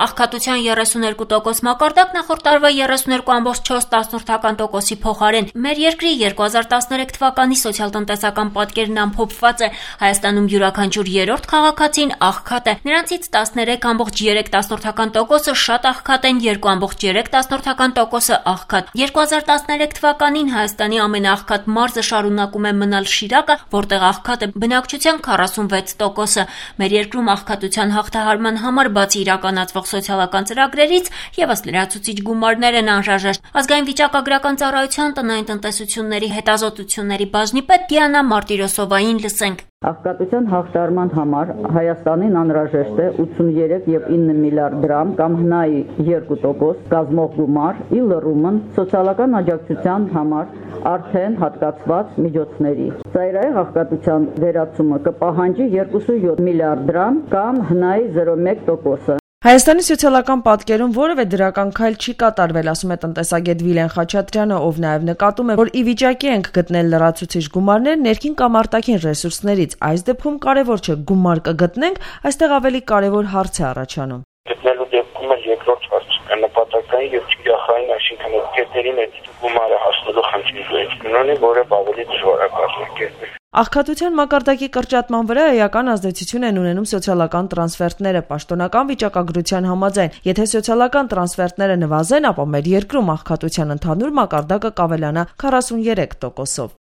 Աղքատության 32% մակարդակ նախորդ տարվա 32.4%-ի փոխարեն։ Մեր երկրի 2013 թվականի սոցիալ-տնտեսական պատկերն ամփոփված է։ Հայաստանում յուրաքանչյուր երրորդ քաղաքացին աղքատ է։ Նրանցից 13.3%-ը շատ աղքատ են, 2.3%-ը աղքատ։ 2013 թվականին Հայաստանի ամենաաղքատ մարզը շարունակում է մնալ Շիրակը, որտեղ աղքատ է բնակչության 46%-ը։ Մեր երկրում աղքատության հաղթահարման համար բացի իրականացվող սոցիալական ծրագրերից ևս լրացուցիչ գումարներ են անհրաժեշտ։ Ազգային վիճակագրական ծառայության տնային տնտեսությունների հետազոտությունների բաժնի պետ Դիանա Մարտիրոսովային լսենք։ Աղքատության հաղթահարման համար Հայաստանին անհրաժեշտ է 83.9 միլիարդ դրամ կամ հնայի 2% կազմող գումար՝ ի լռումն սոցիալական աջակցության համար արդեն հատկացված միջոցների։ Ծայրահեղ աղքատության վերացումը կպահանջի 2.7 միլիարդ դրամ կամ հնայի 0.1%։ Հայաստանի սոցիալական պատկերում որևէ դրական քայլ չի կատարվել, ասում է տնտեսագետ Վիլեն Խաչատրյանը, ով նաև նկատում է, որ ի վիճակի ենք գտնել լրացուցիչ գումարներ ներքին կամ արտաքին ռեսուրսներից։ Այս դեպքում կարևոր չէ գումար կգտնենք, այստեղ ավելի կարևոր հարց է առաջանում։ Գտնելու դեպքում էլ երկրորդ հարցը նպատակային եւ թիրախային, այսինքն կետերին այդ գումարը հասնելու խնդիրը ունի, որը ավելի դժվար է կազմակերպել։ Աղքատության մակարդակի կրճատման վրա էական ազդեցություն են ունենում սոցիալական տրանսֆերտները։ Պաշտոնական վիճակագրության համաձայն, եթե սոցիալական տրանսֆերտները նվազեն, ապա մեր երկրում աղքատության ընդհանուր մակարդակը կավելանա 43%-ով։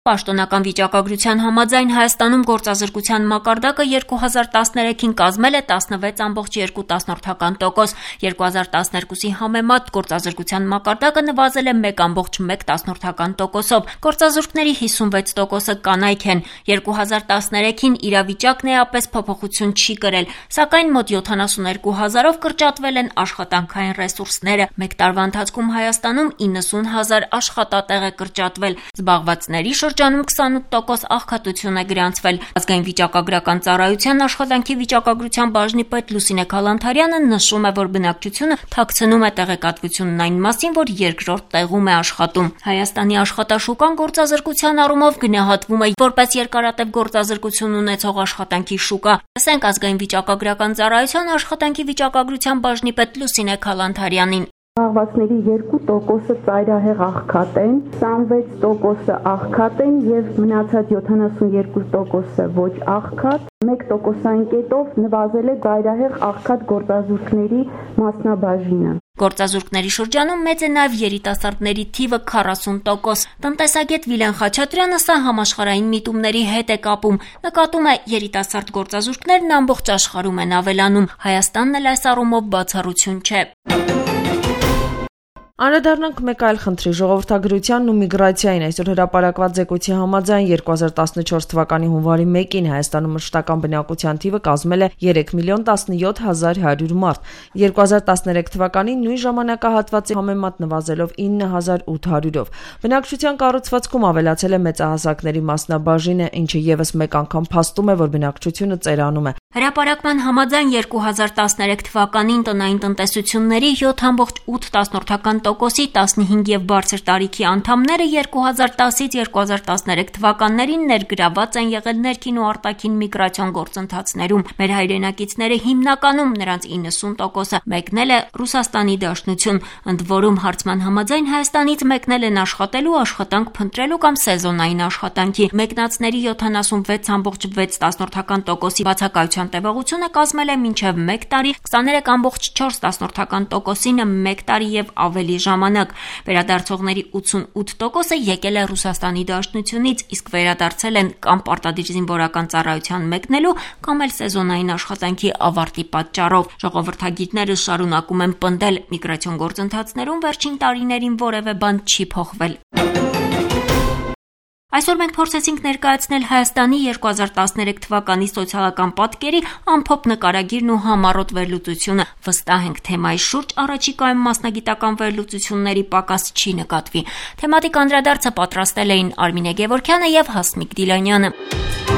Պաշտոնական վիճակագրության համաձայն Հայաստանում գործազրկության մակարդակը 2013-ին կազմել է 16.2%, 2012-ի համեմատ գործազրկության մակարդակը նվազել է 1.1%-ով, գործազուրկների 56%-ը կանայք են, 2013-ին իրավիճակն էապես փոփոխություն չի կրել, սակայն մոտ 72,000-ով կրճատվել են աշխատանքային ռեսուրսները, մեկ տարվա ընթացքում Հայաստանում 90,000 աշխատատեղ է կրճատվել, զբաղվածների շրջանում 28% աղքատություն է գրանցվել։ Ազգային վիճակագրական ծառայության աշխատանքի վիճակագրության բաժնի պետ Լուսինե Քալանթարյանը նշում է, որ բնակչությունը թաքցնում է տեղեկատվությունն այն մասին, որ երկրորդ տեղում է աշխատում։ Հայաստանի աշխատաշուկան գործազրկության առումով գնահատվում է որպես երկարատև գործազրկություն ունեցող աշխատանքի շուկա։ Լսենք ազգային վիճակագրական ծառայության աշխատանքի վիճակագրության բաժնի պետ Լուսինե Քալանթարյանին։ Զբաղվածների 2%-ը ծայրահեղ աղքատ են, 26%-ը աղքատ են եւ մնացած 72%-ը ոչ աղքատ, 1%-ային կետով նվազել է ծայրահեղ աղքատ գործազուրկների մասնաբաժինը։ Գործազուրկների շրջանում մեծ է նաև երիտասարդների թիվը 40%։ Տնտեսագետ Վիլեն Խաչատրյանը սա համաշխարհային միտումների հետ է կապում։ Նկատում է երիտասարդ գործազուրկներն ամբողջ աշխարհում են ավելանում։ Հայաստանն էլ այս առումով բացառություն չէ։ Անդրադառնանք մեկ այլ խնդրի՝ ժողովրդագրությանն ու միգրացիային։ Այսօր հրապարակված զեկույցի համաձայն 2014 թվականի հունվարի 1-ին Հայաստանում մշտական բնակության թիվը կազմել է 3.17100 մարդ, 2013 թվականին նույն ժամանակահատվածի համեմատ նվազելով 9800-ով։ Բնակչության կառուցվածքում ավելացել է մեծահասակների մասնաբաժինը, ինչը ևս մեկ անգամ փաստում է, որ բնակչությունը ծերանում է։ Հրապարակման համաձայն 2013 թվականին տնային տնտեսությունների 7.8%-ի 15 եւ բարձր տարիքի անդամները 2010-ից 2013 թվականներին ներգրաված են եղել ներքին ու արտաքին միգրացիոն գործընթացներում։ Մեր հայրենակիցները հիմնականում նրանց 90%-ը մեկնել է Ռուսաստանի Դաշնություն, ընդ որում հարցման համաձայն Հայաստանից մեկնել են աշխատելու, աշխատանք փնտրելու կամ սեզոնային աշխատանքի։ Մեկնածների 76.6%-ի բացակայության տևողությունը կազմել է մինչև 1 տարի, 23.4%-ին 1 տարի եւ ավելի ժամանակ։ Վերադարձողների 88%-ը եկել է Ռուսաստանի Դաշնությունից, իսկ վերադարձել են կամ պարտադիր զինվորական ծառայության մեկնելու, կամ էլ սեզոնային աշխատանքի ավարտի պատճառով։ Ժողովրդագիտները շարունակում են պնդել, միգրացիոն գործընթացներում վերջին տարիներին որևէ բան չի փոխվել։ Այսօր մենք փորձեցինք ներկայացնել Հայաստանի 2013 թվականի սոցիալական պատկերի ամփոփ նկարագիրն ու համառոտ վերլուծությունը։ Վստահ ենք թեմայի շուրջ առաջիկայում մասնագիտական վերլուծությունների պակաս չի նկատվի։ Թեմատիկ անդրադարձը պատրաստել էին Արմինե Գևորգյանը եւ Հասմիկ Դիլանյանը։